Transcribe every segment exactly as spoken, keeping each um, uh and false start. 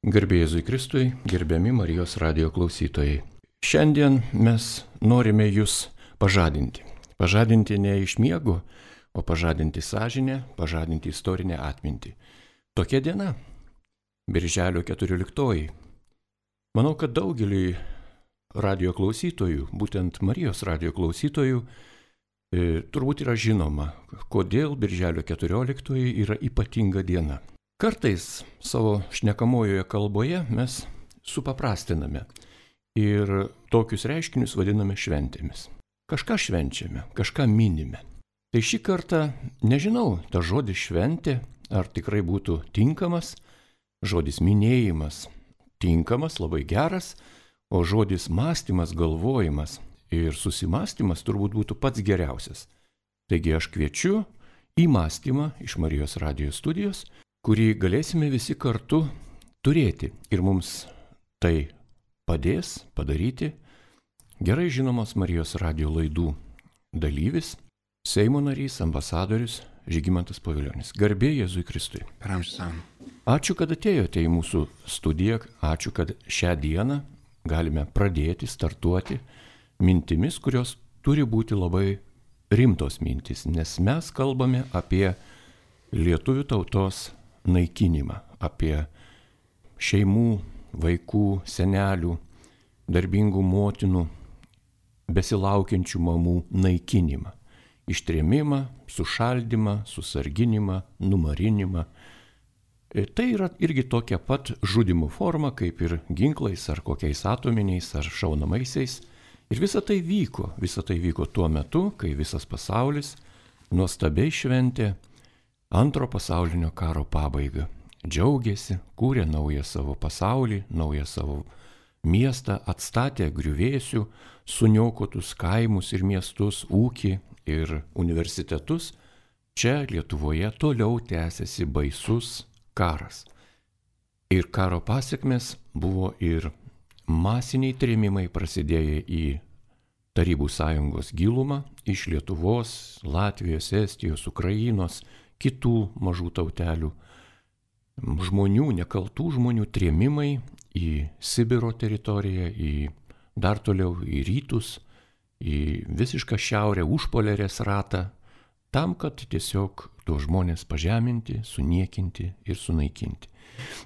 Garbė Jėzui Kristui, gerbiami Marijos radijo klausytojai. Šiandien mes norime jūs pažadinti. Pažadinti ne iš miego, o pažadinti sąžinę, pažadinti istorinę atmintį. Tokia diena, Birželio keturioliktoji. Manau, kad daugeliui radijo klausytojų, būtent Marijos radijo klausytojų, e, turbūt yra žinoma, kodėl Birželio keturioliktoji yra ypatinga diena. Kartais savo šnekamojoje kalboje mes supaprastiname ir tokius reiškinius vadiname šventėmis. Kažką švenčiame, kažką minime. Tai šį kartą nežinau, ta žodis šventė, ar tikrai būtų tinkamas, žodis minėjimas tinkamas, labai geras, o žodis mąstymas, galvojimas ir susimąstymas turbūt būtų pats geriausias. Taigi aš kviečiu į mąstymą iš Marijos radijo studijos, kurį galėsime visi kartu turėti ir mums tai padės padaryti gerai žinomos Marijos radijo laidų dalyvis, Seimo narys, ambasadorius Žygimantas Pavilionis. Garbė Jėzui Kristui. Ačiū, kad atėjote į mūsų studiją, ačiū, kad šią dieną galime pradėti, startuoti mintimis, kurios turi būti labai rimtos mintis, nes mes kalbame apie lietuvių tautos naikinimą, apie šeimų, vaikų, senelių, darbingų motinų, besilaukiančių mamų naikinimą, ištrėmimą, sušaldymą, susarginimą, numarinimą. Tai yra irgi tokia pat žudimo forma, kaip ir ginklais ar kokiais atominiais ar šaunamaisiais. Ir visa tai vyko, visa tai vyko tuo metu, kai visas pasaulis nuostabiai šventė Antro pasaulinio karo pabaigą. Džiaugiasi, kūrė naują savo pasaulį, naują savo miestą, atstatė griuvėsių, suniokotus kaimus ir miestus, ūkį ir universitetus. Čia Lietuvoje toliau tęsiasi baisus karas. Ir karo pasiekmes buvo ir masiniai trėmimai prasidėję į Tarybų sąjungos gilumą iš Lietuvos, Latvijos, Estijos, Ukrainos, kitų mažų tautelių, žmonių, nekaltų žmonių trėmimai į Sibiro teritoriją, į dar toliau į rytus, į visišką šiaurę, užpolerės ratą, tam, kad tiesiog tuos žmonės pažeminti, suniekinti ir sunaikinti.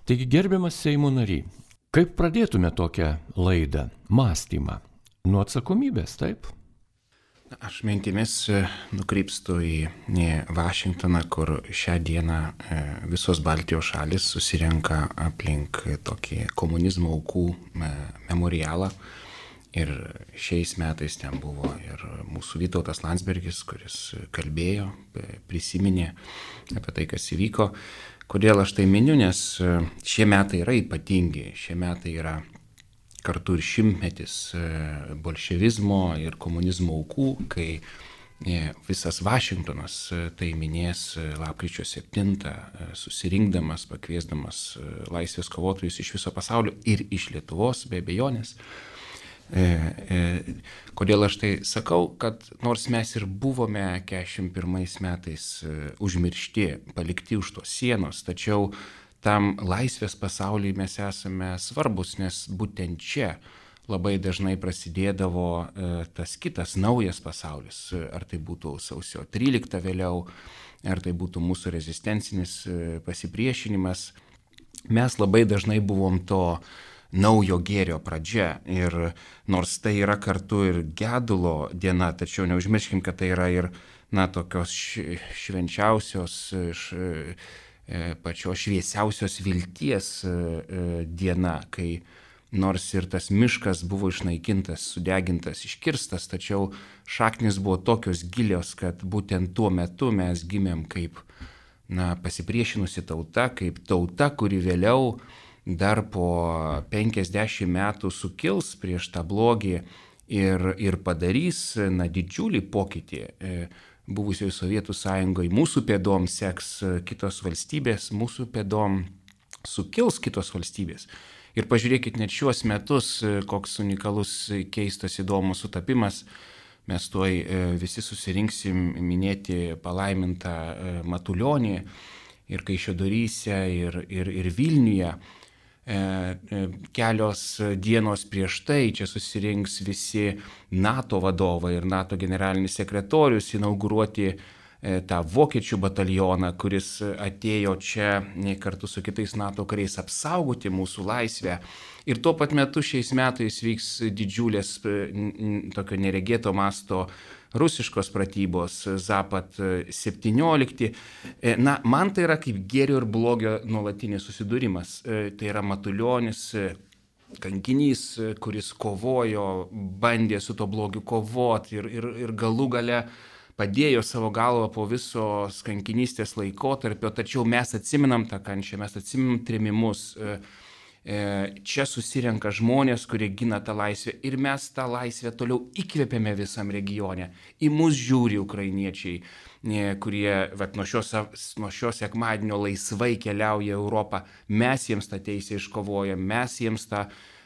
Taigi, gerbiamas Seimo nary, kaip pradėtume tokią laidą, mąstymą? Nuo atsakomybės, taip? Aš mintimis nukrypstu į Vašingtoną, kur šią dieną visos Baltijos šalis susirenka aplink tokį komunizmo aukų memorialą. Ir šiais metais ten buvo ir mūsų Vytautas Landsbergis, kuris kalbėjo, prisiminė apie tai, kas įvyko. Kodėl aš tai miniu, nes šie metai yra ypatingi, šie metai yra kartu ir šimtmetis bolševizmo ir komunizmo aukų, kai visas Vašingtonas tai minės lapkričio septintą, susirinkdamas, pakviesdamas laisvės kovotojus iš viso pasaulio ir iš Lietuvos, be abejonės. Kodėl aš tai sakau, kad nors mes ir buvome keturiasdešimt pirmais metais užmiršti, palikti už tos sienos, tačiau tam laisvės pasaulyje mes esame svarbus, nes būtent čia labai dažnai prasidėdavo e, tas kitas naujas pasaulis, ar tai būtų sausio trylikta vėliau, ar tai būtų mūsų rezistencinis e, pasipriešinimas. Mes labai dažnai buvom to naujo gėrio pradžia ir nors tai yra kartu ir gedulo diena, tačiau neužmirškim, kad tai yra ir na, tokios švenčiausios iš pačios šviesiausios vilties diena, kai nors ir tas miškas buvo išnaikintas, sudegintas, iškirstas, tačiau šaknis buvo tokios gilios, kad būtent tuo metu mes gimėm kaip na, pasipriešinusi tauta, kaip tauta, kuri vėliau dar po penkiasdešimt metų sukils prieš tą blogį ir, ir padarys na, didžiulį pokytį. Buvusioje Sovietų sąjungoje mūsų pėdom seks kitos valstybės, mūsų pėdom sukils kitos valstybės. Ir pažiūrėkit net šiuos metus, koks unikalus, keistas, įdomus sutapimas. Mes tuoj visi susirinksim minėti palaimintą Matulionį ir Kaišiadoryse, ir, ir, ir Vilniuje. kelios dienos prieš tai čia susirinks visi NATO vadovai ir NATO generalinis sekretorius inauguruoti tą vokiečių batalioną, kuris atėjo čia kartu su kitais NATO kariais apsaugoti mūsų laisvę. Ir tuo pat metu šiais metais vyks didžiulės tokio neregėto masto rusiškos pratybos Zapad septyniolikti. Na, man tai yra kaip gėrio ir blogio nuolatinis susidūrimas. Tai yra Matulionis, kankinys, kuris kovojo, bandė su to blogiu kovoti ir, ir, ir galų gale padėjo savo galvą po visos kankinystės laikotarpio, tačiau mes atsimenam tą kančią, mes atsimenam trėmimus. Čia susirenka žmonės, kurie gina tą laisvę ir mes tą laisvę toliau įkvėpėme visam regione. Į mus žiūri ukrainiečiai, kurie vat, nuo šios, nuo šios sekmadienio laisvai keliauja į Europą. Mes jiems tą teisę iškovojam, mes jiems tą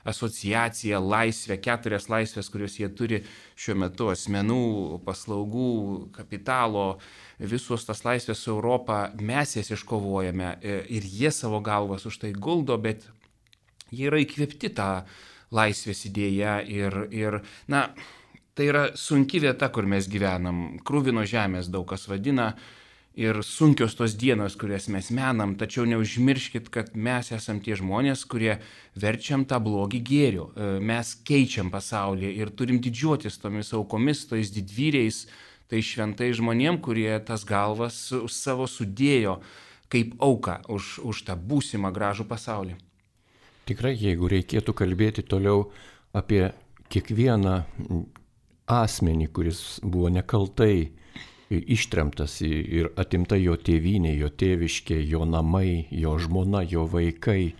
asociaciją, laisvę, keturias laisvės, kurios jie turi šiuo metu, asmenų, paslaugų, kapitalo, visos tas laisvės su Europą, mes jas iškovojame ir jie savo galvas už tai guldo, bet jie yra įkvėpti tą laisvės idėją ir, ir, na, tai yra sunki vieta, kur mes gyvenam. Kruvino žemės daug kas vadina ir sunkios tos dienos, kurias mes menam, tačiau neužmirškit, kad mes esam tie žmonės, kurie verčiam tą blogį gėriu. Mes keičiam pasaulį ir turim didžiuotis tomis aukomis, tais didvyriais, tai šventai žmonėm, kurie tas galvas savo sudėjo kaip auką už, už tą būsimą gražų pasaulį. Tikrai, jeigu reikėtų kalbėti toliau apie kiekvieną asmenį, kuris buvo nekaltai ištremtas ir atimta jo tėvynė, jo tėviškė, jo namai, jo žmona, jo vaikai,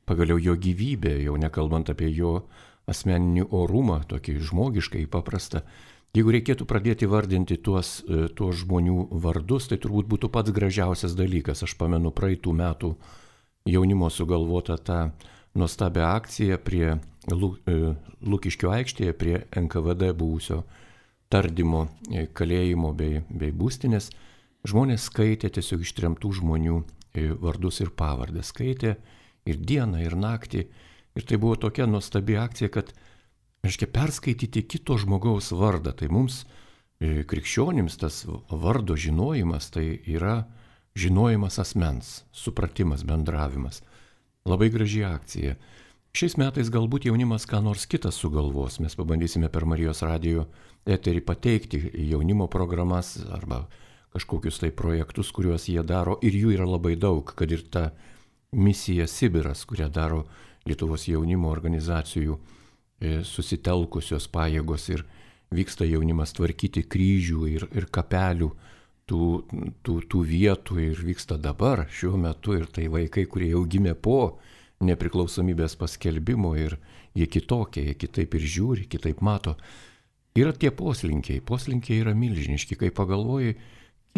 pagaliau jo gyvybė, jau nekalbant apie jo asmeninį orumą, tokį žmogiškai paprastą. Jeigu reikėtų pradėti vardinti tuos, tuos žmonių vardus, tai turbūt būtų pats gražiausias dalykas. Aš pamenu praeitų metų jaunimo sugalvotą tą nuostabią akciją prie Lukiškių aikštėje, prie N K V D buvusio tardymo kalėjimo bei, bei būstinės. Žmonės skaitė tiesiog ištremtų žmonių vardus ir pavardes. Skaitė ir dieną, ir naktį. Ir tai buvo tokia nuostabi akcija, kad, reiškia, perskaityti kito žmogaus vardą. Tai mums, krikščionims, tas vardo žinojimas, tai yra žinojimas asmens, supratimas, bendravimas. Labai graži akcija. Šiais metais galbūt jaunimas ką nors kitas sugalvos. Mes pabandysime per Marijos radijo eterį pateikti jaunimo programas arba kažkokius tai projektus, kuriuos jie daro. Ir jų yra labai daug, kad ir ta misija Sibiras, kurią daro Lietuvos jaunimo organizacijų susitelkusios pajėgos ir vyksta jaunimas tvarkyti kryžių ir, ir kapelių tų, tų, tų vietų ir vyksta dabar, šiuo metu, ir tai vaikai, kurie jau gimė po nepriklausomybės paskelbimo ir jie kitokie, jie kitaip ir žiūri, kitaip mato. Yra tie poslinkiai, poslinkiai yra milžiniški, kai pagalvoji,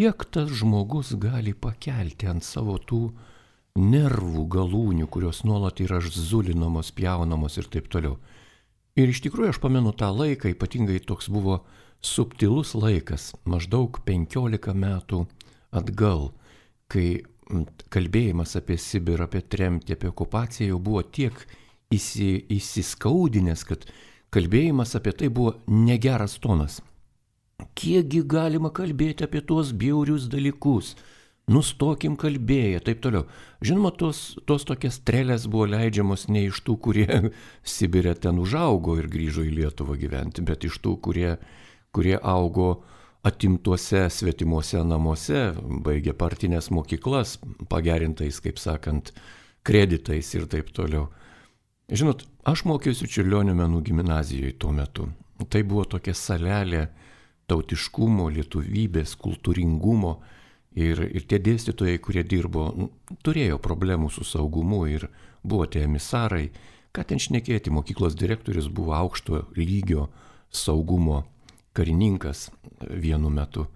kiek tas žmogus gali pakelti ant savo tų nervų galūnių, kurios nuolat yra zulinamos, pjaunamos ir taip toliau. Ir iš tikrųjų aš pamenu tą laiką, ypatingai toks buvo subtilus laikas, maždaug penkiolika metų atgal, kai kalbėjimas apie Sibirą, apie tremtį, apie okupaciją jau buvo tiek įsi, įsiskaudinęs, kad kalbėjimas apie tai buvo negeras tonas. Kiekgi galima kalbėti apie tuos bjaurius dalykus, nustokim kalbėję, taip toliau. Žinoma, tos, tos tokias strėlės buvo leidžiamos ne iš tų, kurie Sibire ten užaugo ir grįžo į Lietuvą gyventi, bet iš tų, kurie kurie augo atimtuose svetimuose namuose, baigė partinės mokyklas, pagerintais, kaip sakant, kreditais ir taip toliau. Žinot, aš mokiausi Čiurlionio menų gimnazijoje tuo metu. Tai buvo tokia salelė tautiškumo, lietuvybės, kultūringumo ir, ir tie dėstytojai, kurie dirbo, turėjo problemų su saugumu ir buvo tie emisarai. Ką ten šnekėti, mokyklos direktorius buvo aukšto lygio saugumo karininkas vienu metu.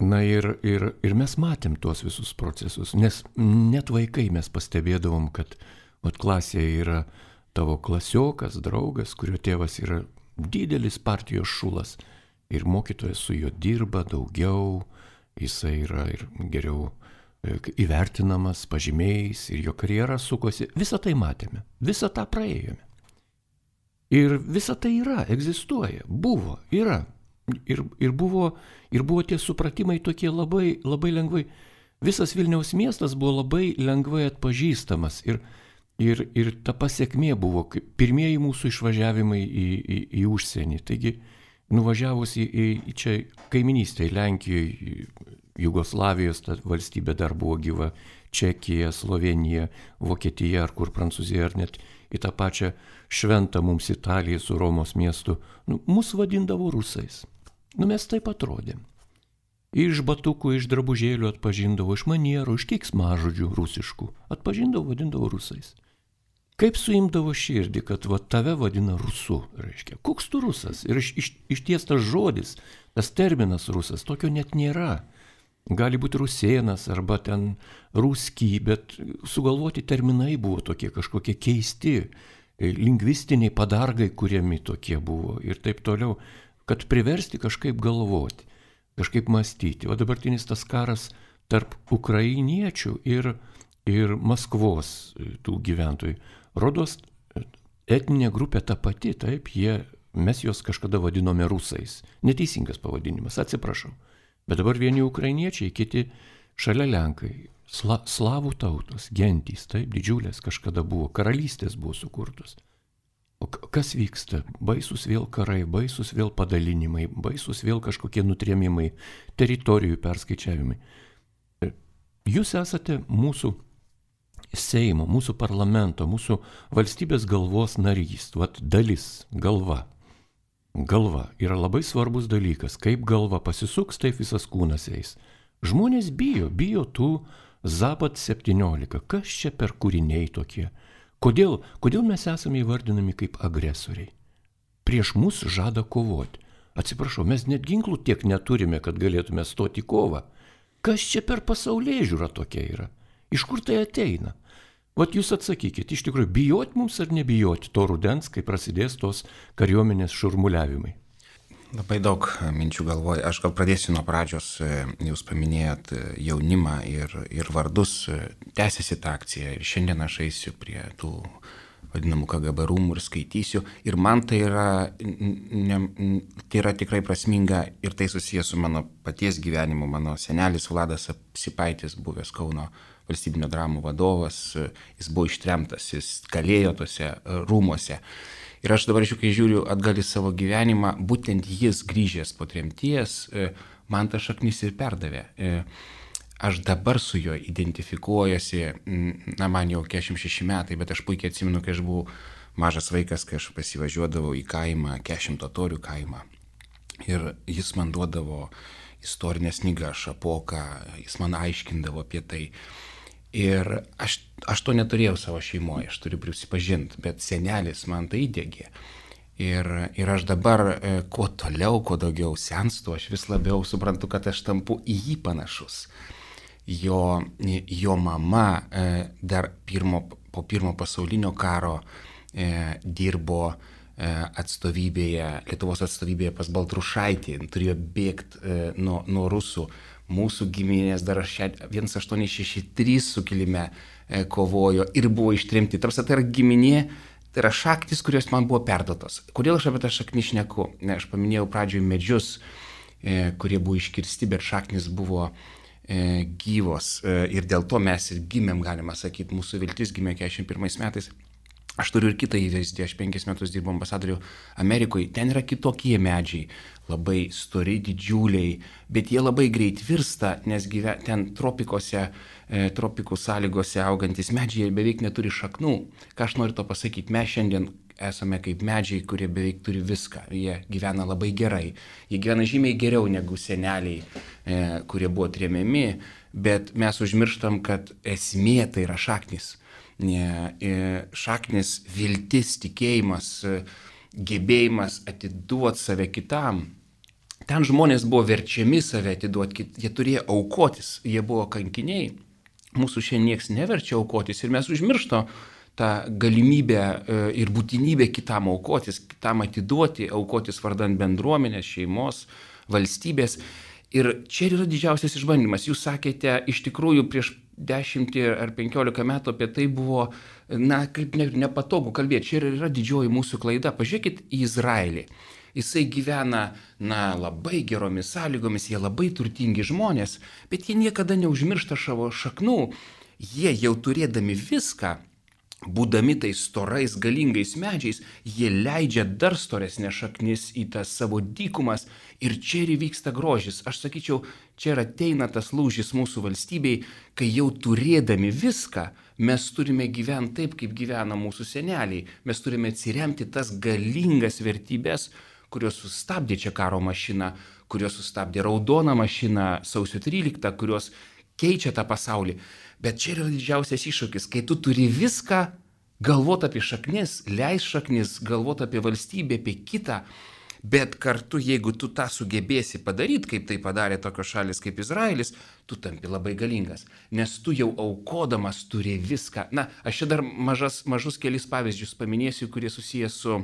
Na ir, ir, ir mes matėm tuos visus procesus, nes net vaikai mes pastebėdavom, kad vat, klasėje yra tavo klasiokas, draugas, kurio tėvas yra didelis partijos šulas ir mokytojas su juo dirba daugiau, jisai yra ir geriau įvertinamas pažymiais ir jo karjera sukosi. Visą tai matėme, visą tą praėjome. Ir visa tai yra, egzistuoja, buvo, yra. Ir, ir, buvo, ir buvo tie supratimai tokie labai, labai lengvai. Visas Vilniaus miestas buvo labai lengvai atpažįstamas. Ir, ir, ir ta pasiekmė buvo kaip pirmieji mūsų išvažiavimai į, į, į užsienį. Taigi, nuvažiavus į, į, į čia kaiminystę, į Lenkijoje, Jugoslavijos ta valstybė dar buvo gyva, Čekija, Slovenija, Vokietija ar kur Prancūzija, ar net į tą pačią šventą mums Italiją su Romos miestu, nu, mus vadindavo rusais. Nu, mes taip atrodėm. Iš batukų, iš drabužėlių atpažindavo, iš manierų, iš keiksmažodžių rusiškų. Atpažindavo, vadindavo rusais. Kaip suimdavo širdį, kad va, tave vadina rusu, reiškia. Koks tu rusas? Ir iš, iš, išties tas žodis, tas terminas rusas, tokio net nėra. Gali būti rusėnas arba ten ruski, bet sugalvoti terminai buvo tokie kažkokie keisti, lingvistiniai padargai kuriami tokie buvo ir taip toliau, kad priversti kažkaip galvoti, kažkaip mąstyti. O dabartinis tas karas tarp ukrainiečių ir, ir Maskvos tų gyventojų. Rodos etninė grupė ta pati, taip, jie, mes juos kažkada vadinome rusais. Neteisingas pavadinimas, atsiprašau. Bet dabar vieni ukrainiečiai, kiti šalia Lenkai. Sla, slavų tautos, gentys, taip, didžiulės kažkada buvo, karalystės buvo sukurtos. O kas vyksta? Baisus vėl karai, baisus vėl padalinimai, baisus vėl kažkokie nutrėmimai, teritorijų perskaičiavimai. Jūs esate mūsų Seimo, mūsų parlamento, mūsų valstybės galvos narys, vat dalis, galva. Galva yra labai svarbus dalykas. Kaip galva pasisuks, taip visas kūnas eis. Žmonės bijo, bijo tų Zapad septyniolika. Kas čia per kūriniai tokie? Kodėl, kodėl mes esame įvardinami kaip agresoriai? Prieš mus žada kovoti. Atsiprašau, mes net ginklų tiek neturime, kad galėtume stoti į kovą. Kas čia per pasaulėžiūra tokia yra? Iš kur tai ateina? Vat jūs atsakykit, iš tikrųjų, bijot mums ar nebijot to rudens, kai prasidės tos kariuomenės šurmuliavimai? Labai daug minčių galvoju. Aš gal pradėsiu nuo pradžios. Jūs paminėjot jaunimą ir, ir vardus. Tęsiasi ta akcija ir šiandien aš eisiu prie tų vadinamų K G B rūmų ir skaitysiu. Ir man tai yra, ne, tai yra tikrai prasminga ir tai susijęs su mano paties gyvenimu. Mano senelis Vladas Apsipaitis, buvęs Kauno valstybinio dramų vadovas, jis buvo ištremtas, jis kalėjo tose rūmuose. Ir aš dabar, kai žiūriu atgal į savo gyvenimą, būtent jis grįžęs po tremties, man ta šaknis ir perdavė. Aš dabar su juo identifikuojuosi, na man jau keturiasdešimt šeši metai, bet aš puikiai atsimenu, kai aš buvau mažas vaikas, kai aš pasivažiuodavau į kaimą, keturiasdešimt totorių kaimą. Ir jis man duodavo istorinės knygas, Šapoką, jis man aiškindavo apie tai. Ir aš, aš to neturėjau savo šeimoje, aš turiu prisipažinti, bet senelis man tai įdėgė. Ir, ir aš dabar, kuo toliau, kuo daugiau senstu, aš vis labiau suprantu, kad aš tampu į jį panašus. Jo, jo mama dar pirmo, po pirmo pasaulinio karo dirbo atstovybėje, Lietuvos atstovybėje pas Baltrušaitį, turėjo bėgti nuo, nuo rusų. Mūsų giminės dar vienas aštuoni šeši trys sukilime kovojo ir buvo ištremti. Tarsi tai yra giminė, tai yra šaktis, kurios man buvo perduotos. Kodėl aš apie tą šaknį šneku? Ne, aš paminėjau pradžioje medžius, kurie buvo iškirsti, bet šaknis buvo gyvos. Ir dėl to mes ir gimėm, galima sakyti, mūsų viltis gimė keturiasdešimt pirmais metais. Aš turiu ir kitą įvaizdį, aš penkis metus dirbau ambasadorių Amerikoje, ten yra kitokie medžiai, labai stori, didžiuliai, bet jie labai greit virsta, nes gyve, ten tropikose, e, tropikų sąlygose augantis medžiai beveik neturi šaknų. Ką aš noriu to pasakyti, mes šiandien esame kaip medžiai, kurie beveik turi viską, jie gyvena labai gerai, jie gyvena žymiai geriau negu seneliai, e, kurie buvo tremiami, bet mes užmirštam, kad esmė tai yra šaknis. Šaknis, viltis, tikėjimas, gebėjimas atiduoti save kitam. Ten žmonės buvo verčiami save atiduoti, jie turėjo aukotis, jie buvo kankiniai. Mūsų šiandien nieks neverčia aukotis ir mes užmiršto tą galimybę ir būtinybę kitam aukotis, kitam atiduoti, aukotis vardant bendruomenės, šeimos, valstybės. Ir čia yra didžiausias išbandymas. Jūs sakėte, iš tikrųjų prieš dešimtį ar penkiolika metų apie tai buvo, na, kaip ne, nepatogu kalbėti. Čia yra didžioji mūsų klaida. Pažiūrėkit į Izraelį. Jisai gyvena, na, labai geromis sąlygomis, jie labai turtingi žmonės, bet jie niekada neužmiršta savo šaknų. Jie jau turėdami viską, būdami tais storais, galingais medžiais, jie leidžia dar storesnės šaknis į tas savo dykumas ir čia ir vyksta grožis. Aš sakyčiau, čia ir ateina tas lūžis mūsų valstybei, kai jau turėdami viską, mes turime gyventi taip, kaip gyvena mūsų seneliai. Mes turime atsiremti tas galingas vertybės, kurios sustabdė čia karo mašiną, kurios sustabdė raudoną mašiną sausio tryliktą, kurios keičia tą pasaulį. Bet čia yra didžiausias iššūkis, kai tu turi viską, galvot apie šaknis, leis šaknis, galvot apie valstybę, apie kitą, bet kartu, jeigu tu tą sugebėsi padaryti, kaip tai padarė tokios šalis kaip Izraelis, tu tampi labai galingas, nes tu jau aukodamas turi viską. Na, aš čia dar mažas, mažus kelis pavyzdžius paminėsiu, kurie susijęs su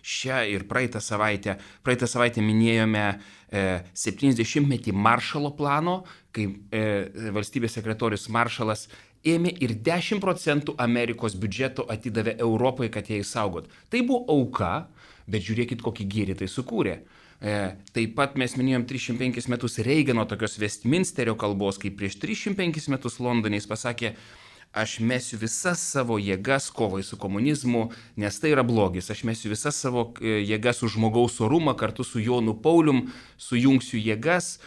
šią ir praeitą savaitę. Praeitą savaitę minėjome septyniasdešimtmetį Maršalo plano, kai valstybės sekretorius Maršalas ėmė ir dešimt procentų Amerikos biudžeto atidavė Europai, kad ją išsaugot. Tai buvo auka, bet žiūrėkit, kokį gėrį tai sukūrė. Taip pat mes minėjom trisdešimt penkis metus Reigano tokios Westminsterio kalbos, kai prieš trisdešimt penkis metus Londone jis pasakė, aš mesiu visas savo jėgas kovai su komunizmu, nes tai yra blogis. Aš mesiu visas savo jėgas už žmogaus orumą, kartu su Jonu Paulium sujungsiu jėgas.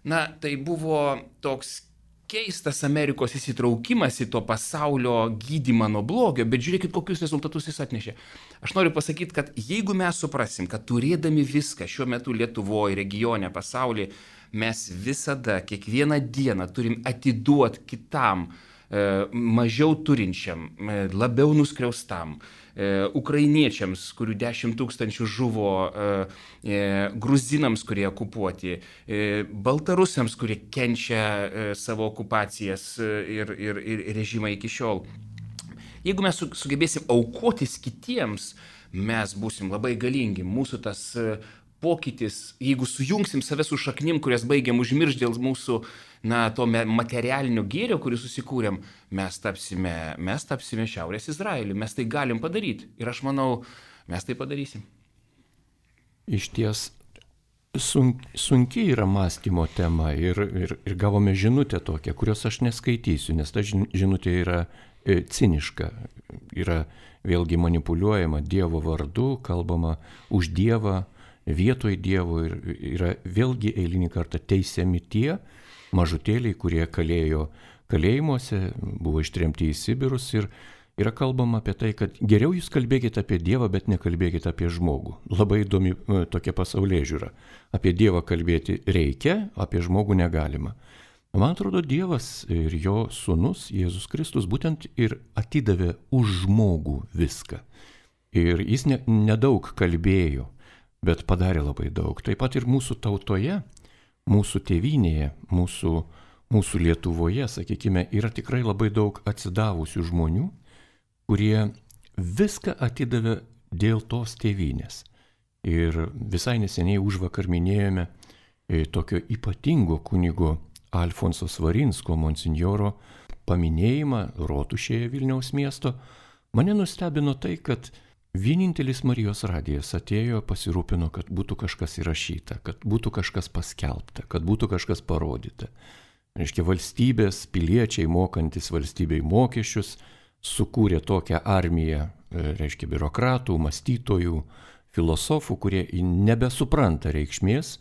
Na, tai buvo toks keistas Amerikos įsitraukimas į to pasaulio gydymą nuo blogio, bet žiūrėkit, kokius rezultatus jis atnešė. Aš noriu pasakyti, kad jeigu mes suprasim, kad turėdami viską šiuo metu Lietuvoje, regione, pasaulyje, mes visada, kiekvieną dieną turim atiduoti kitam, mažiau turinčiam, labiau nuskriaustam, ukrainiečiams, kurių dešimt tūkstančių žuvo, gruzinams, kurie okupuoti, baltarusiams, kurie kenčia savo okupacijas ir, ir, ir režimą iki šiol. Jeigu mes sugebėsim aukotis kitiems, mes būsim labai galingi. Mūsų tas pokytis, jeigu sujungsim save su šaknim, kurias baigiam užmiršti dėl mūsų, na, to materialinio gėrio, kurį susikūrėm, mes tapsime, mes tapsime Šiaurės Izraeliu. Mes tai galim padaryti. Ir aš manau, mes tai padarysim. Iš ties sunk, sunki yra mąstymo tema ir, ir, ir gavome žinutę tokią, kurios aš neskaitysiu, nes ta žinutė yra e, ciniška. Yra vėlgi manipuliuojama Dievo vardu, kalbama už Dievą, vietoj Dievo ir yra vėlgi eilinį kartą teisiami tie mažutėliai, kurie kalėjo kalėjimuose, buvo ištremti į Sibirus ir yra kalbama apie tai, kad geriau jūs kalbėkite apie Dievą, bet nekalbėkite apie žmogų. Labai įdomi tokia pasaulėžiūra. Apie Dievą kalbėti reikia, apie žmogų negalima. Man atrodo, Dievas ir jo sūnus Jėzus Kristus būtent ir atidavė už žmogų viską. Ir jis ne, nedaug kalbėjo, bet padarė labai daug. Taip pat ir mūsų tautoje, mūsų tėvynėje, mūsų, mūsų Lietuvoje, sakykime, yra tikrai labai daug atsidavusių žmonių, kurie viską atidavė dėl tos tėvynės. Ir visai neseniai užvakar minėjome tokio ypatingo kunigo Alfonso Svarinsko monsinjoro paminėjimą Rotušėje Vilniaus miesto. Mane nustebino tai, kad vienintelis Marijos radijas atėjo, pasirūpino, kad būtų kažkas įrašyta, kad būtų kažkas paskelbta, kad būtų kažkas parodyta. Reiškia, valstybės, piliečiai mokantis valstybei mokesčius, sukūrė tokią armiją, reiškia, biurokratų, mąstytojų, filosofų, kurie nebesupranta reikšmės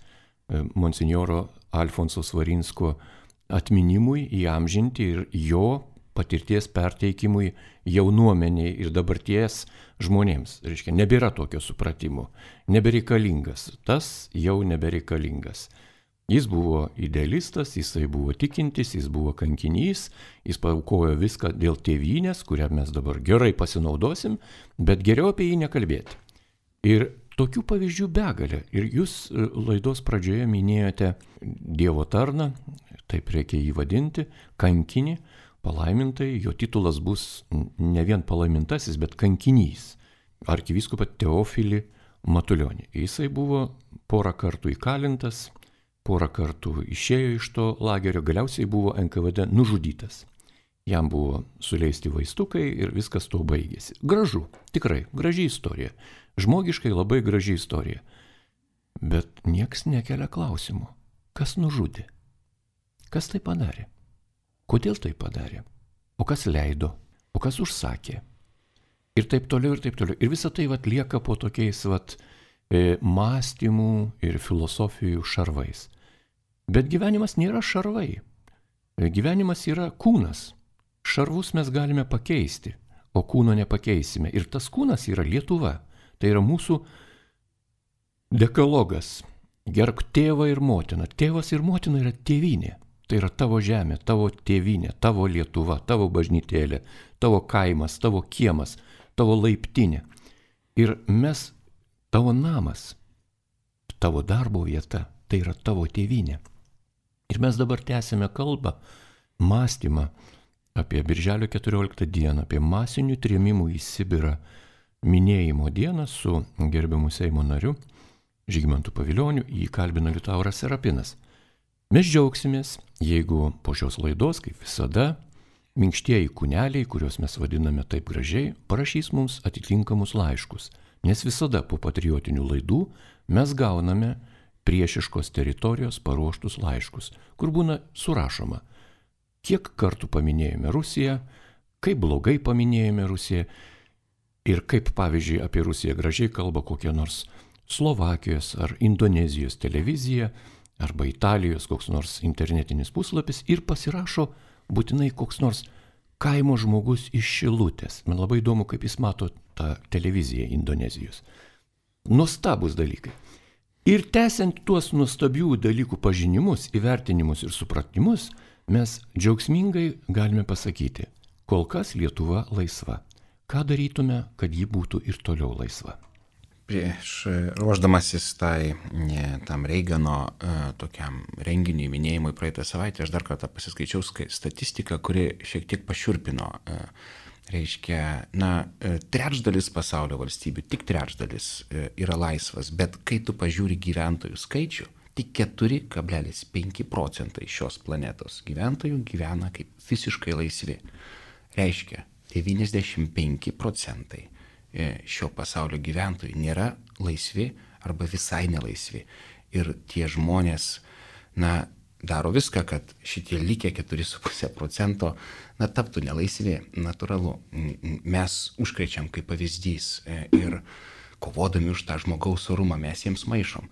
monsinjoro Alfonso Svarinsko atminimui įamžinti ir jo patirties perteikimui jaunuomeniai ir dabarties žmonėms. Reiškia, nebėra tokio supratimo, nebereikalingas, tas jau nebereikalingas. Jis buvo idealistas, jisai buvo tikintis, jis buvo kankinys, jis paaukojo viską dėl tėvynės, kurią mes dabar gerai pasinaudosim, bet geriau apie jį nekalbėti. Ir tokių pavyzdžių begalė. Ir jūs laidos pradžioje minėjote Dievo tarną, taip reikia jį vadinti, kankinį, palaimintai, jo titulas bus ne vien palaimintasis, bet kankinys. Arkivyskupą Teofilį Matulionį. Jisai buvo porą kartų įkalintas, porą kartų išėjo iš to lagerio, galiausiai buvo N K V D nužudytas. Jam buvo suleisti vaistukai ir viskas tuo baigėsi. Gražu, tikrai, graži istorija. Žmogiškai labai graži istorija. Bet nieks nekelia klausimų. Kas nužudė? Kas tai padarė? Kodėl tai padarė? O kas leido? O kas užsakė? Ir taip toliau, ir taip toliau. Ir visa tai vat lieka po tokiais vat e, mąstymų ir filosofijų šarvais. Bet gyvenimas nėra šarvai. Gyvenimas yra kūnas. Šarvus mes galime pakeisti, o kūno nepakeisime. Ir tas kūnas yra Lietuva. Tai yra mūsų dekalogas. Gerbk tėvą ir motiną. Tėvas ir motina yra tėvynė. Tai yra tavo žemė, tavo tėvynė, tavo Lietuva, tavo bažnytėlė, tavo kaimas, tavo kiemas, tavo laiptinė. Ir mes, tavo namas, tavo darbo vieta, tai yra tavo tėvynė. Ir mes dabar tęsime kalbą, mąstymą apie Birželio keturioliktą dieną, apie masinių trėmimų į Sibirą minėjimo dieną su gerbiamu Seimo nariu Žygimantu Pavilioniu, jį kalbina Liutauras Serapinas. Mes džiaugsimės, jeigu po šios laidos, kaip visada, minkštieji kūneliai, kuriuos mes vadiname taip gražiai, parašys mums atitinkamus laiškus, nes visada po patriotinių laidų mes gauname priešiškos teritorijos paruoštus laiškus, kur būna surašoma, kiek kartų paminėjome Rusiją, kaip blogai paminėjome Rusiją ir kaip, pavyzdžiui, apie Rusiją gražiai kalba kokia nors Slovakijos ar Indonezijos televizija, arba Italijos koks nors internetinis puslapis ir pasirašo būtinai koks nors kaimo žmogus iš Šilutės. Man labai įdomu, kaip jis mato tą televiziją Indonezijos. Nuostabus dalykai. Ir tęsiant tuos nuostabių dalykų pažinimus, įvertinimus ir supratimus, mes džiaugsmingai galime pasakyti, kol kas Lietuva laisva. Ką darytume, kad ji būtų ir toliau laisva? Prieš ruoždamasis tai, ne, tam Reigano uh, tokiam renginiui minėjimui praeitą savaitę, aš dar kartą pasiskaičiau statistiką, kuri šiek tiek pašiurpino. Uh, reiškia, na, trečdalis pasaulio valstybių, tik trečdalis uh, yra laisvas, bet kai tu pažiūri gyventojų skaičių, tik keturi kablelis penki procentai šios planetos gyventojų gyvena kaip visiškai laisvi. Reiškia, devyniasdešimt penki procentai šio pasaulio gyventojų nėra laisvi arba visai nelaisvi. Ir tie žmonės, na, daro viską, kad šitie likę keturi su puse procento, na, taptų nelaisvi, natūralu. Mes užkrečiam kaip pavyzdys ir kovodami už tą žmogaus orumą mes jiems maišom.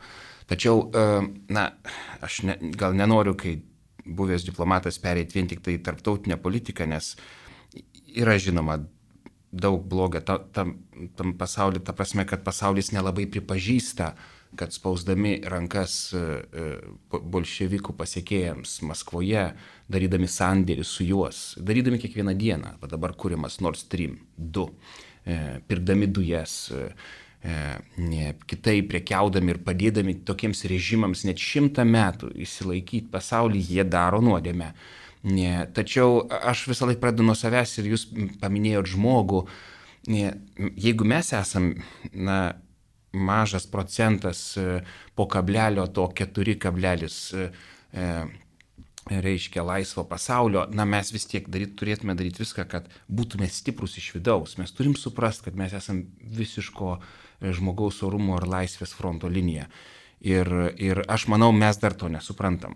Tačiau, na, aš ne, gal nenoriu, kai buvęs diplomatas, pereiti vien tik tai tarptautinę politiką, nes yra žinoma daug blogio ta, tam, tam pasauliu, ta prasme, kad pasaulis nelabai pripažįsta, kad spausdami rankas bolševikų pasiekėjams Maskvoje, darydami sandėrį su juos, darydami kiekvieną dieną, va dabar kuriamas Nord Stream du, pirkdami dujas, ne, kitaip prekiaudami ir padėdami tokiems režimams net šimtą metų įsilaikyti pasaulį, jie daro nuodėmę. Ne, tačiau aš visą laiką pradedu nuo savęs ir jūs paminėjot žmogų. Ne, jeigu mes esam, na, mažas procentas po kablelio to keturi kablelis e, reiškia laisvo pasaulio, na, mes vis tiek daryt, turėtume daryti viską, kad būtume stiprus iš vidaus. Mes turim suprasti, kad mes esam visiško žmogaus orumo ir laisvės fronto linija. Ir, ir aš manau, mes dar to nesuprantam.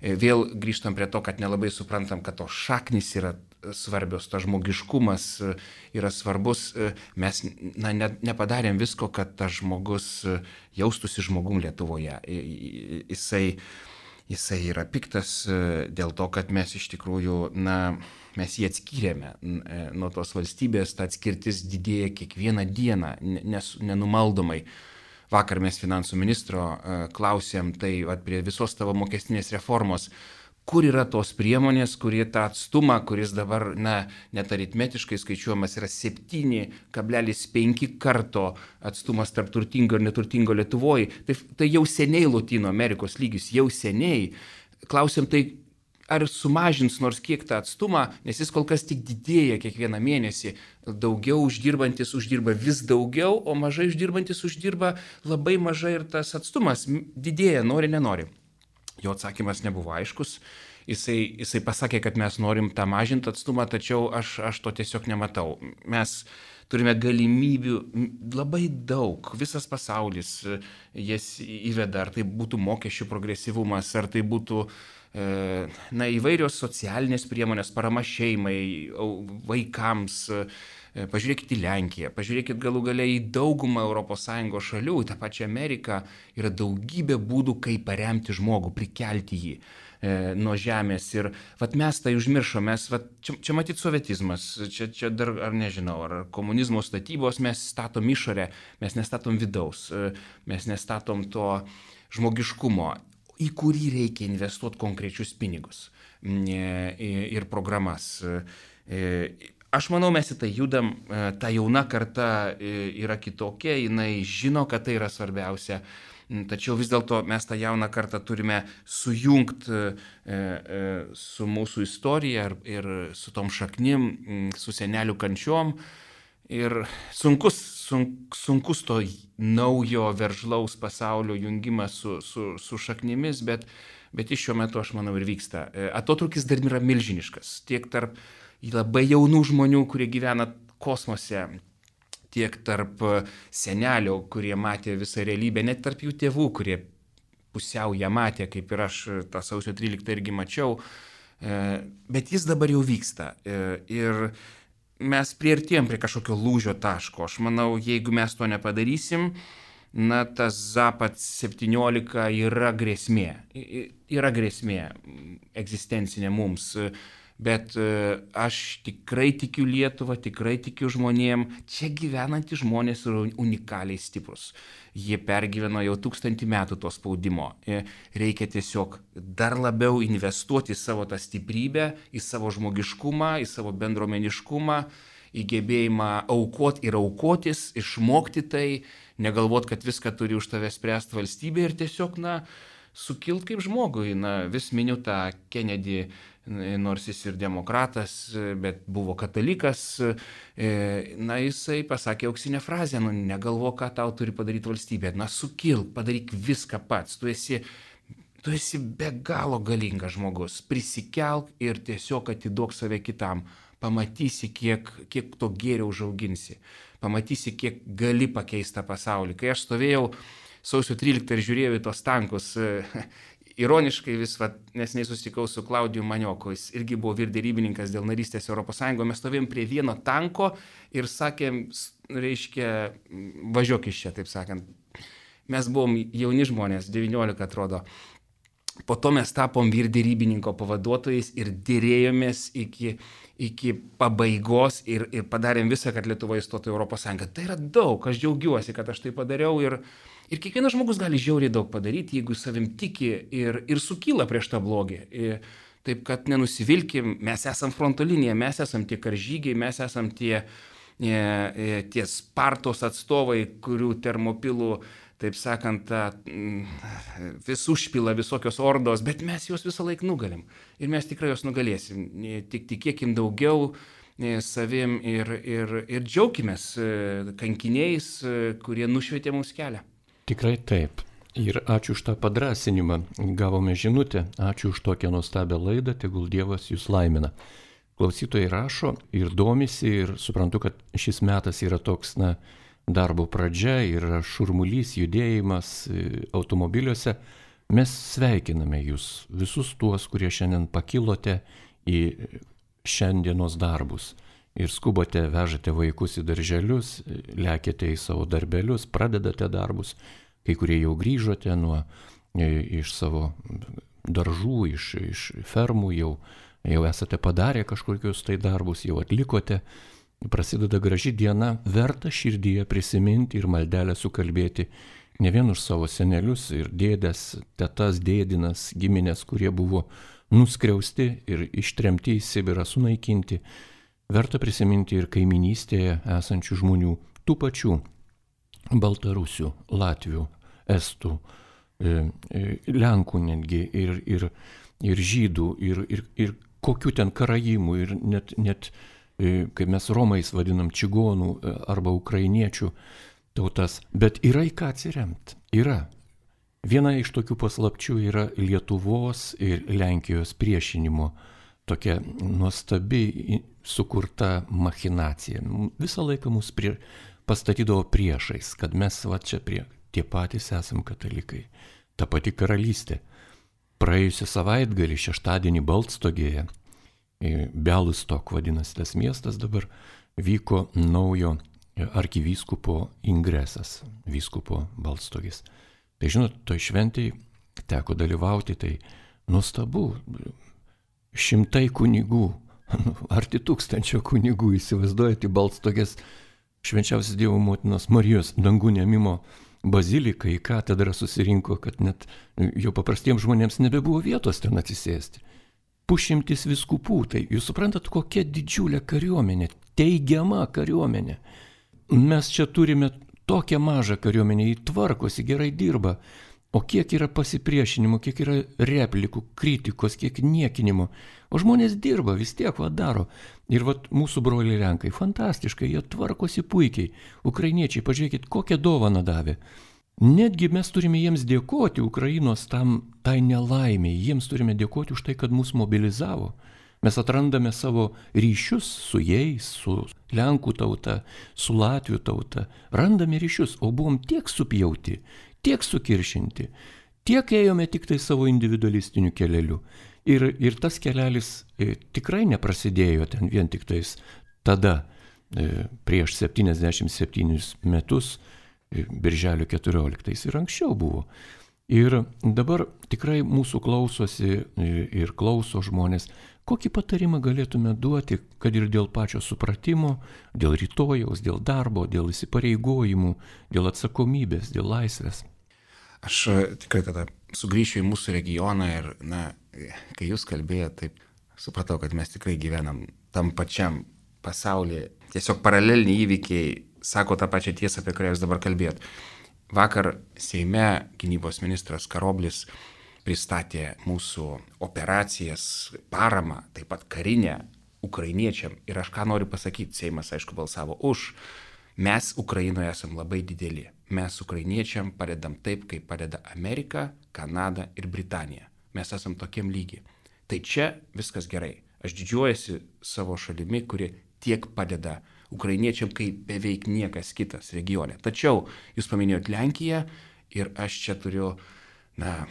Vėl grįžtam prie to, kad nelabai suprantam, kad to šaknis yra svarbios, tas žmogiškumas yra svarbus. Mes, na, ne, nepadarėm visko, kad tas žmogus jaustųsi žmogum Lietuvoje. Jisai, jisai yra piktas dėl to, kad mes iš tikrųjų, na, mes jį atskyrėme nuo tos valstybės, ta atskirtis didėja kiekvieną dieną, nes, nenumaldomai. Vakar mes finansų ministro uh, klausėm, tai at, prie visos tavo mokestinės reformos, kur yra tos priemonės, kurie tą atstumą, kuris dabar, na, net aritmetiškai skaičiuojamas yra septyni kablelis penki karto atstumas tarp turtingo ir neturtingo Lietuvoje, tai, tai jau seniai Lotynų Amerikos lygis, jau seniai. Klausėm, tai ar sumažins nors kiek tą atstumą, nes jis kol kas tik didėja kiekvieną mėnesį. Daugiau uždirbantis uždirba vis daugiau, o mažai uždirbantis uždirba labai mažai ir tas atstumas didėja, nori, nenori. Jo atsakymas nebuvo aiškus. Jisai, jisai pasakė, kad mes norim tą mažinti atstumą, tačiau aš, aš to tiesiog nematau. Mes turime galimybių labai daug, visas pasaulis jas įveda, ar tai būtų mokesčių progresyvumas, ar tai būtų na, įvairios socialinės priemonės, parama šeimai, vaikams. Pažiūrėkit į Lenkiją, pažiūrėkit galų galiai į daugumą Europos Sąjungos šalių, į tą pačią Ameriką, yra daugybė būdų, kaip paremti žmogų, prikelti jį e, nuo žemės. Ir vat mes tai užmiršome, mes, vat, čia, čia matyt sovietizmas, čia, čia dar, ar nežinau, ar komunizmo statybos, mes statom išorę, mes nestatom vidaus, mes nestatom to žmogiškumo, į kurį reikia investuoti konkrečius pinigus ir programas. Aš manau, mes į tai judam, ta jauna karta yra kitokia, jinai žino, kad tai yra svarbiausia, tačiau vis dėlto mes tą jauną kartą turime sujungti su mūsų istorija ir su tom šaknim, su senelių kančiom. Ir sunkus, sunk, sunkus to naujo veržlaus pasaulio jungimas su, su, su šaknimis, bet, bet iš šiuo metu, aš manau, ir vyksta. Atotrukis dar yra milžiniškas, tiek tarp labai jaunų žmonių, kurie gyvena kosmose, tiek tarp senelių, kurie matė visą realybę, net tarp jų tėvų, kurie pusiau ją matė, kaip ir aš tą sausio tryliktą irgi mačiau, bet jis dabar jau vyksta. Ir mes priartėjom prie kažkokio lūžio taško. Aš manau, jeigu mes to nepadarysim, na, tas Zapad septyniolika yra grėsmė. Yra grėsmė egzistencinė mums. Bet aš tikrai tikiu Lietuvą, tikrai tikiu žmonėm. Čia gyvenantys žmonės yra unikaliai stiprus. Jie pergyveno jau tūkstantį metų to spaudimo. Reikia tiesiog dar labiau investuoti į savo tą stiprybę, į savo žmogiškumą, į savo bendruomeniškumą, į gebėjimą aukoti ir aukotis, išmokti tai, negalvot, kad viską turi už tave spręsti valstybė ir tiesiog, na, sukilt kaip žmogui. Na, vis miniu tą Kennedy, nors jis ir demokratas, bet buvo katalikas, na, jisai pasakė auksinę frazę, nu, negalvo, ką tau turi padaryti valstybė, na, sukilk, padaryk viską pats, tu esi, tu esi be galo galingas žmogus, prisikelk ir tiesiog atiduok save kitam, pamatysi, kiek, kiek to gėrio užauginsi, pamatysi, kiek gali pakeisti tą pasaulį. Kai aš stovėjau sausio tryliktą ir žiūrėjau į tos tankus, ironiškai vis, va, neseniai susitikau su Klaudiju Manioku, jis irgi buvo vyrderybininkas dėl narystės Europos Sąjungoje, mes stovėjom prie vieno tanko ir sakėm, reiškia, važiuok iš čia, taip sakant. Mes buvom jauni žmonės, devyniolika atrodo. Po to mes tapom vyrderybininko pavaduotojais ir dėrėjomės iki, iki pabaigos ir, ir padarėm visą, kad Lietuva įstotų į Europos Sąjungą. Tai yra daug, aš džiaugiuosi, kad aš tai padariau ir Ir kiekvienas žmogus gali žiauriai daug padaryti, jeigu savim tiki ir, ir sukyla prieš tą blogį. Ir, taip kad nenusivilkim, mes esam fronto linija, mes esam tie karžygiai, mes esam tie, tie Spartos atstovai, kurių termopilų, taip sakant, vis užpila visokios ordos, bet mes juos visą laiką nugalim. Ir mes tikrai juos nugalėsim. Tik tikėkim daugiau savim ir, ir, ir džiaukimės kankiniais, kurie nušvietė mums kelią. Tikrai taip. Ir ačiū už tą padrasinimą. Gavome žinutę. Ačiū už tokią nuostabią laidą. Tegul Dievas jūs laimina. Klausytojai rašo ir domisi ir suprantu, kad šis metas yra toks, na, darbo pradžia, yra šurmulys, judėjimas automobiliuose. Mes sveikiname jūs, visus tuos, kurie šiandien pakilote į šiandienos darbus. Ir skubote, vežate vaikus į darželius, lekiate į savo darbelius, pradedate darbus, kai kurie jau grįžote nuo, iš savo daržų, iš, iš fermų, jau, jau esate padarę kažkokius tai darbus, jau atlikote. Prasideda graži diena, verta širdyje prisiminti ir maldelę sukalbėti ne vien už savo senelius ir dėdes, tetas, dėdinas, giminės, kurie buvo nuskriausti ir ištremti į Sibirą, sunaikinti. Verta prisiminti ir kaiminystėje esančių žmonių, tų pačių baltarusių, latvių, estų, lenkų netgi, ir, ir, ir žydų, ir, ir, ir kokių ten karaimų, ir net, net, kaip mes romais vadinam, čigonų arba ukrainiečių tautas. Bet yra į ką atsiremti. Yra. Viena iš tokių paslapčių yra Lietuvos ir Lenkijos priešinimo tokia nuostabi sukurta machinacija. Visą laiką mus prie, pastatydavo priešais, kad mes va čia prie, tie patys esam katalikai. Ta pati karalystė. Praėjusią savaitgalį, šeštadienį Baltstogėje, Bialystok vadinasi tas miestas dabar, vyko naujo arkivyskupo ingresas, vyskupo Baltstogės. Tai žinot, toj šventėj teko dalyvauti, tai nuostabu, šimtai kunigų, arti tūkstančio kunigų, įsivaizduojate, Baltstogės švenčiausios Dievo motinos Marijos dangų ėmimo bazilika į katedrą susirinko, kad net jau paprastiems žmonėms nebebuvo vietos ten atsisėsti. Pusšimtis vyskupų, tai jūs suprantat, kokia didžiulė kariuomenė, teigiama kariuomenė. Mes čia turime tokią mažą kariuomenę, jį tvarkosi, gerai dirba, o kiek yra pasipriešinimo, kiek yra replikų, kritikos, kiek niekinimo. O žmonės dirba, vis tiek va daro. Ir va mūsų broliai Lenkai, fantastiškai, jie tvarkosi puikiai. Ukrainiečiai, pažiūrėkit, kokią dovaną davė. Netgi mes turime jiems dėkoti, Ukrainos tam, tai nelaimiai, jiems turime dėkoti už tai, kad mus mobilizavo. Mes atrandame savo ryšius su jais, su Lenkų tauta, su Latvių tauta. Randame ryšius, o buvom tiek supjauti, tiek sukiršinti, tiek ėjome tik tai savo individualistiniu keleliu. Ir, ir tas kelelis e, tikrai neprasidėjo ten vien tik tais tada, e, prieš septyniasdešimt septynis metus, e, birželio keturioliktais ir anksčiau buvo. Ir dabar tikrai mūsų klausosi e, ir klauso žmonės. Kokį patarimą galėtume duoti, kad ir dėl pačio supratimo, dėl rytojaus, dėl darbo, dėl įsipareigojimų, dėl atsakomybės, dėl laisvės? Aš tikrai tada sugrįšiu į mūsų regioną ir, na, kai jūs kalbėjote, taip supratau, kad mes tikrai gyvenam tam pačiam pasaulyje. Tiesiog paraleliniai įvykiai sako tą pačią tiesą, apie kurią jūs dabar kalbėjot. Vakar Seime gynybos ministras Karoblis pristatė mūsų operacijas, paramą, taip pat karinę ukrainiečiam. Ir aš ką noriu pasakyti, Seimas aišku balsavo už. Mes Ukrainoje esam labai dideli. Mes ukrainiečiam padedam taip, kaip padeda Amerika, Kanada ir Britanija. Mes esam tokiam lygiai. Tai čia viskas gerai. Aš didžiuojasi savo šalimi, kuri tiek padeda ukrainiečiam, kaip beveik niekas kitas regione. Tačiau jūs paminėjot Lenkiją ir aš čia turiu, na,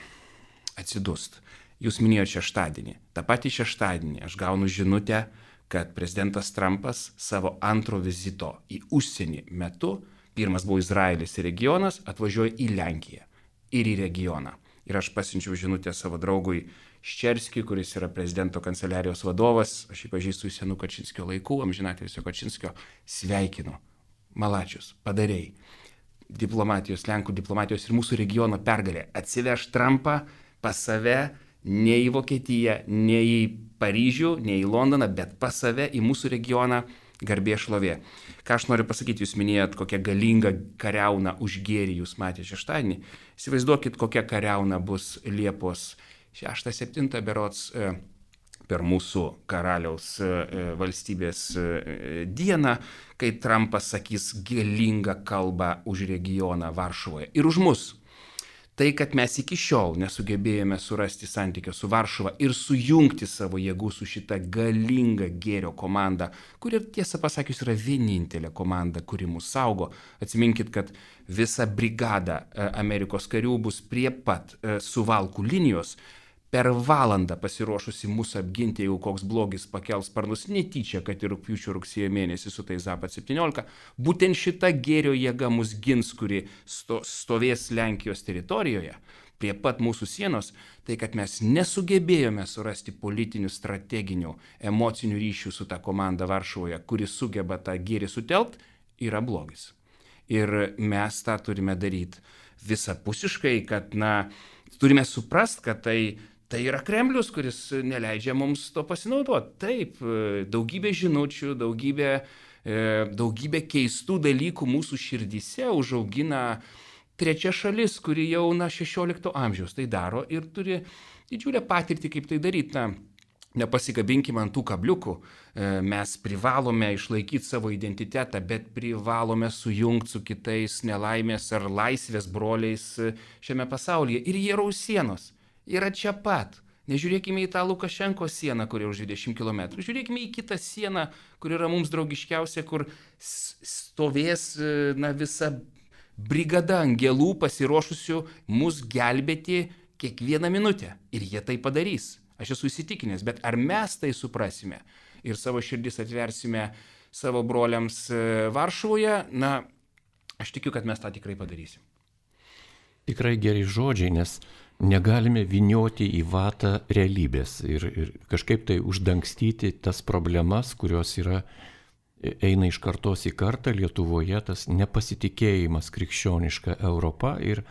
atsidust. Jūs minėjote šeštadienį. Ta pati šeštadienį aš gaunu žinutę, kad prezidentas Trumpas savo antro vizito į užsienį metu, pirmas buvo Izraelis ir regionas, atvažiuoja į Lenkiją ir į regioną. Ir aš pasiunčiau žinutę savo draugui Ščerskiui, kuris yra prezidento kanceliarijos vadovas, aš jį pažįstu iš senų Kačinskio laikų, amžinatilsio Kačinskio, sveikinu. Malačius, padarėjai. Diplomatijos, Lenkų diplomatijos ir mūsų regiono pergalė. Atsiveš Trumpą pas save, ne į Vokietiją, ne į Paryžių, ne į Londoną, bet pas save į mūsų regioną, garbė šlovė. Ką aš noriu pasakyti, jūs minėjot, kokią galingą kariauną už gėrį jūs matėte šeštadienį. Įsivaizduokit, kokia kariauna bus Liepos šeštą septintą berods per mūsų karaliaus valstybės dieną, kai Trumpas sakys galingą kalbą už regioną Varšuvoje ir už mus. Tai, kad mes iki šiol nesugebėjome surasti santykio su Varšuva ir sujungti savo jėgų su šita galinga gėrio komanda, kuri tiesą pasakius yra vienintelė komanda, kuri mus saugo. Atsiminkit, kad visa brigada Amerikos karių bus prie pat Suvalkų linijos, per valandą pasiruošusi mūsų apginti, jeigu koks blogis pakels sparnus netyčia, kad ir rugpjūčio rugsėjo mėnesį su tais Zapad septyniolika, būtent šita gėrio jėga mus gins, kuri sto, stovės Lenkijos teritorijoje, prie pat mūsų sienos, tai kad mes nesugebėjome surasti politinių, strateginių, emocinių ryšių su ta komanda Varšuvoje, kuri sugeba tą gėrį sutelkti, yra blogis. Ir mes tą turime daryti visapusiškai, kad, na, turime suprast, kad tai Tai yra Kremlius, kuris neleidžia mums to pasinaudoti. Taip, daugybė žinučių, daugybė, daugybė keistų dalykų mūsų širdyse užaugina trečia šalis, kuri jau na šešiolikto amžiaus tai daro ir turi didžiulę patirtį, kaip tai daryti. Na, Nepasikabinkime ant tų kabliukų, mes privalome išlaikyti savo identitetą, bet privalome sujungti su kitais nelaimės ar laisvės broliais šiame pasaulyje. Ir jie yra už sienos, yra čia pat. Nežiūrėkime į tą Lukašenkos sieną, kuri už dvidešimt kilometrų. Žiūrėkime į kitą sieną, kur yra mums draugiškiausia, kur stovės na, visa brigada angelų pasiruošusių mus gelbėti kiekvieną minutę. Ir jie tai padarys. Aš esu įsitikinęs, bet ar mes tai suprasime ir savo širdis atversime savo broliams Varšuvoje, na, aš tikiu, kad mes tą tikrai padarysim. Tikrai geri žodžiai, nes negalime vynioti į vatą realybės ir, ir kažkaip tai uždangstyti tas problemas, kurios yra, eina iš kartos į kartą Lietuvoje, tas nepasitikėjimas krikščioniška Europa ir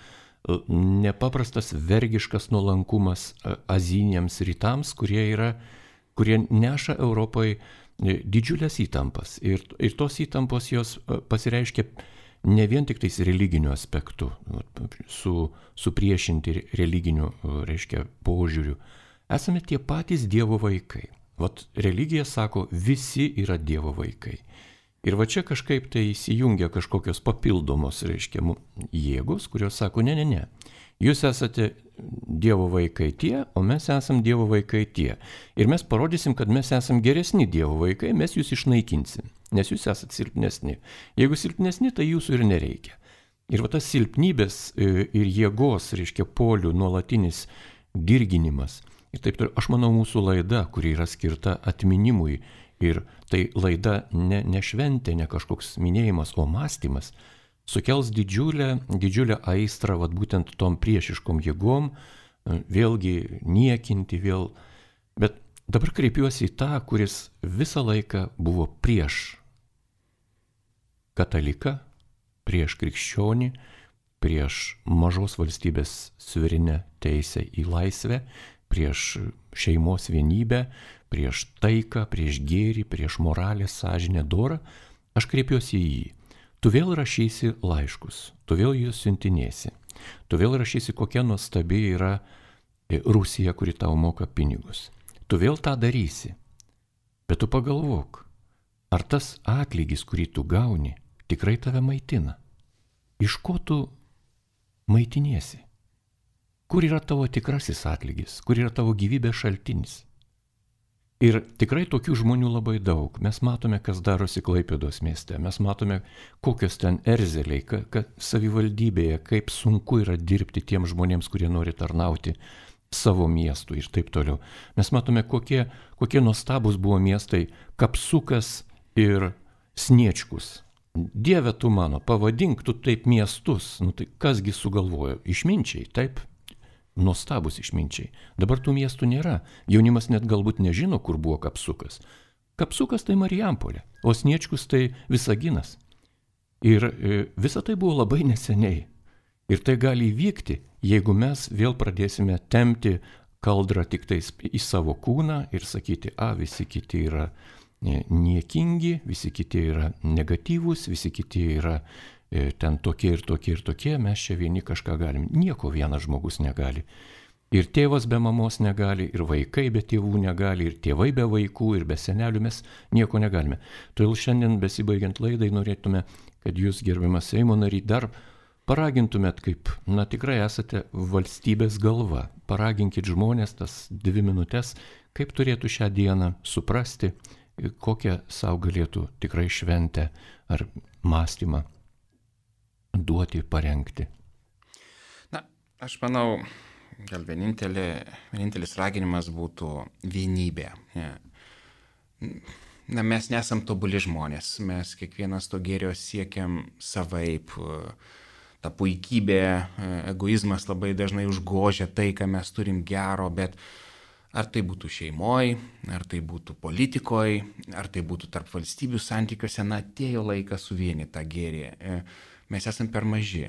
nepaprastas vergiškas nuolankumas azijiniams rytams, kurie, yra, kurie neša Europai didžiulės įtampas. Ir, ir tos įtampos jos pasireiškia ne vien tik tais religiniu aspektu, su, supriešinti religiniu, reiškia, požiūriu. Esame tie patys Dievo vaikai. Vat religija sako, visi yra Dievo vaikai. Ir va čia kažkaip tai įsijungia kažkokios papildomos, reiškia, jėgos, kurios sako, ne, ne, ne, jūs esate Dievo vaikai tie, o mes esam Dievo vaikai tie. Ir mes parodysim, kad mes esam geresni Dievo vaikai, mes jūs išnaikinsim, nes jūs esate silpnesni. Jeigu silpnesni, tai jūsų ir nereikia. Ir va tas silpnybės ir jėgos, reiškia, polių nuolatinis dirginimas. Ir taip toliau, aš manau, mūsų laida, kuri yra skirta atminimui, ir tai laida ne, ne šventė, ne kažkoks minėjimas, o mąstymas, sukels didžiulę, didžiulę aistrą, vat būtent tom priešiškom jėgom, vėlgi niekinti vėl. Bet dabar kreipiuosi į tą, kuris visą laiką buvo prieš kataliką, prieš krikščionį, prieš mažos valstybės suverenę teisę į laisvę, prieš šeimos vienybę, prieš taiką, prieš gėrį, prieš moralę, sąžinę, dorą, aš kreipiuosi į jį. Tu vėl rašysi laiškus, tu vėl juos siuntinėsi, tu vėl rašysi, kokia nuostabi yra Rusija, kuri tau moka pinigus. Tu vėl tą darysi, bet tu pagalvok, ar tas atlygis, kurį tu gauni, tikrai tave maitina. Iš ko tu maitiniesi? Kur yra tavo tikrasis atlygis, kur yra tavo gyvybės šaltinis? Ir tikrai tokių žmonių labai daug. Mes matome, kas darosi Klaipėdos mieste. Mes matome, kokios ten erzeliai, kad savivaldybėje, kaip sunku yra dirbti tiems žmonėms, kurie nori tarnauti savo miestų ir taip toliau. Mes matome, kokie, kokie nuostabus buvo miestai Kapsukas ir Sniečkus. Dieve tu mano, pavadink tu taip miestus. Nu tai kasgi sugalvojo? Išminčiai, taip? Nuostabus išminčiai. Dabar tų miestų nėra. Jaunimas net galbūt nežino, kur buvo Kapsukas. Kapsukas tai Marijampolė, o Sniečkus tai Visaginas. Ir visa tai buvo labai neseniai. Ir tai gali įvykti, jeigu mes vėl pradėsime tempti kaldrą tik tais į savo kūną ir sakyti, a, visi kiti yra niekingi, visi kiti yra negatyvūs, visi kiti yra ten tokie ir tokie ir tokie, mes čia vieni kažką galim. Nieko vienas žmogus negali. Ir tėvas be mamos negali, ir vaikai be tėvų negali, ir tėvai be vaikų, ir be senelių mes nieko negalime. Todėl šiandien besibaigiant laidai norėtume, kad jūs, gerbiamas Seimo nary, dar paragintumėt, kaip, na tikrai esate valstybės galva. Paraginkit žmonės tas dvi minutės, kaip turėtų šią dieną suprasti, kokią savo galėtų tikrai šventę ar mąstymą duoti, parengti. Na, aš manau, gal vienintelė, vienintelis raginimas būtų vienybė. Na, mes nesam tobuli žmonės, mes kiekvienas to gėrio siekiam savaip. Ta puikybė, egoizmas labai dažnai užgožia tai, ką mes turim gero, bet ar tai būtų šeimoj, ar tai būtų politikoj, ar tai būtų tarp valstybių santykiuose, na, atėjo laikas suvienyti tą gėrį. Mes esam per maži.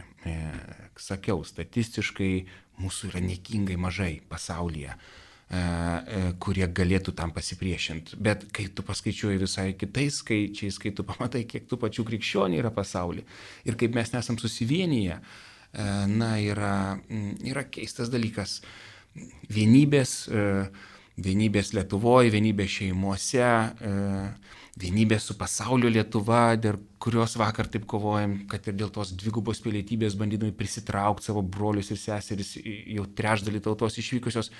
Sakiau, statistiškai mūsų yra niekingai mažai pasaulyje, kurie galėtų tam pasipriešinti. Bet kai tu paskaičiuoji visai kitais skaičiais, kai tu pamatai, kiek tų pačių krikščionių yra pasaulyje ir kaip mes nesam susivienyje, na, yra, yra keistas dalykas. Vienybės vienybės Lietuvoje, vienybės šeimuose, vienybės su pasaulio Lietuva, dėl kurios vakar taip kovojam, kad ir dėl tos dvigubos pilietybės bandydami prisitraukti savo brolius ir seseris, jau trečdalį tautos išvykusios.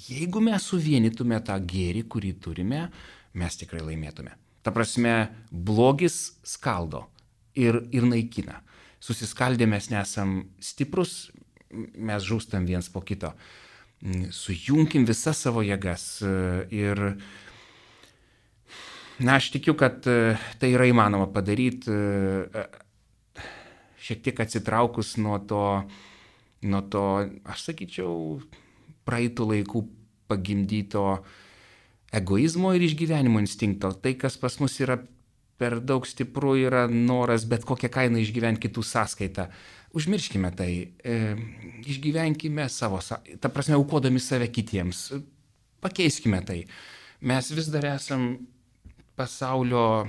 Jeigu mes suvienytume tą gėrį, kurį turime, mes tikrai laimėtume. Ta prasme, blogis skaldo ir, ir naikina. Susiskaldę mes nesam stiprus, mes žūstam viens po kito. Sujunkim visas savo jėgas ir, na, aš tikiu, kad tai yra įmanoma padaryti, šiek tiek atsitraukus nuo to, nuo to, aš sakyčiau, praeitų laikų pagimdyto egoizmo ir išgyvenimo instinkto. Tai, kas pas mus yra per daug stipru, yra noras bet kokią kainą išgyventi kitų sąskaitą. Užmirškime tai, e, išgyvenkime savo, ta prasme, aukodami save kitiems, pakeiskime tai. Mes vis dar esam pasaulio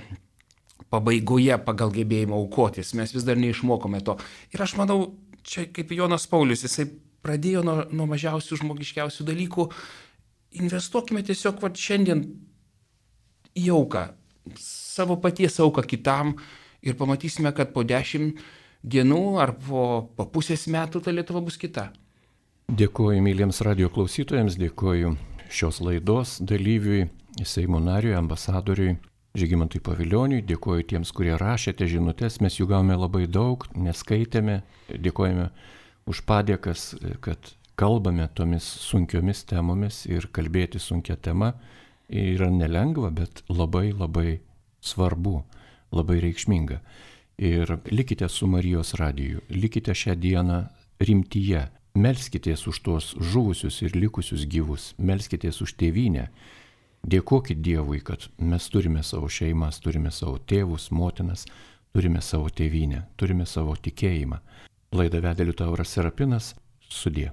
pabaigoje pagal gebėjimą aukotis, mes vis dar neišmokome to. Ir aš manau, čia kaip Jonas Paulius, jisai pradėjo nuo, nuo mažiausių žmogiškiausių dalykų, investuokime tiesiog va, šiandien į auką, savo paties auką kitam ir pamatysime, kad po dešimt dienų ar po, po pusės metų ta Lietuva bus kita. Dėkuoju myliems radio klausytojams, dėkuoju šios laidos dalyviui, Seimo nariui, ambasadoriui Žygimantui Pavilioniui, dėkuoju tiems, kurie rašėte žinutes, mes jų gavome labai daug, neskaitėme, dėkojame už padėkas, kad kalbame tomis sunkiomis temomis ir kalbėti sunkia tema yra nelengva, bet labai labai svarbu, labai reikšminga. Ir likite su Marijos radiju, likite šią dieną rimtyje, melskitės už tuos žuvusius ir likusius gyvus, melskitės už tėvynę, dėkokit Dievui, kad mes turime savo šeimas, turime savo tėvus, motinas, turime savo tėvynę, turime savo tikėjimą. Laidą vedė Liutauras Serapinas, sudie.